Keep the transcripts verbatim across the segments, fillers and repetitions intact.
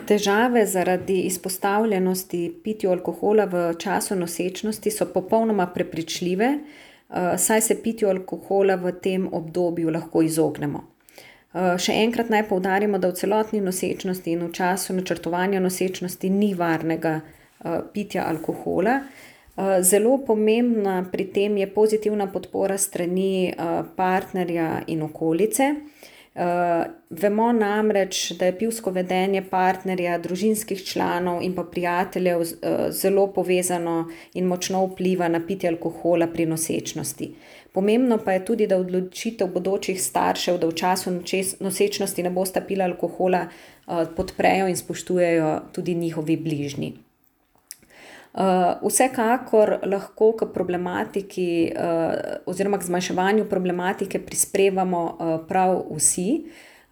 Težave zaradi izpostavljenosti pitju alkohola v času nosečnosti so popolnoma prepričljive, saj se pitju alkohola v tem obdobju lahko izognemo. Še enkrat naj poudarimo, da v celotni nosečnosti in v času načrtovanja nosečnosti ni varnega pitja alkohola. Zelo pomembna pri tem je pozitivna podpora s strani partnerja in okolice. Vemo namreč, da je pivsko vedenje partnerja, družinskih članov in pa prijateljev zelo povezano in močno vpliva na pitje alkohola pri nosečnosti. Pomembno pa je tudi, da odločitev bodočih staršev, da v času nosečnosti ne bosta pila alkohola, podprejo in spoštujejo tudi njihovi bližnji. Vsekakor lahko k problematiki oziroma k zmanjševanju problematike prispevamo prav vsi.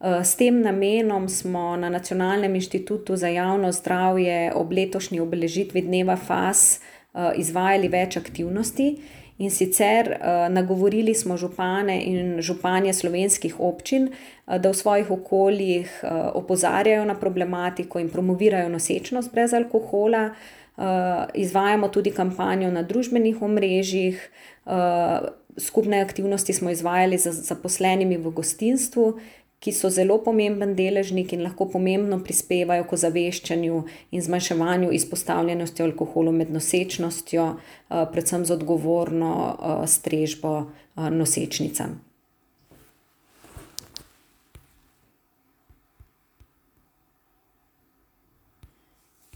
S tem namenom smo na Nacionalnem inštitutu za javno zdravje ob letošnji obeležitvi dneva F A S izvajali več aktivnosti, in sicer nagovorili smo župane in županje slovenskih občin, da v svojih okoljih opozarjajo na problematiko in promovirajo nosečnost brez alkohola. Izvajamo tudi kampanjo na družbenih omrežjih, skupne aktivnosti smo izvajali z zaposlenimi v gostinstvu, ki so zelo pomemben deležnik in lahko pomembno prispevajo k ozaveščanju in zmanjševanju izpostavljenosti alkoholu med nosečnostjo, predvsem z odgovorno strežbo nosečnicam.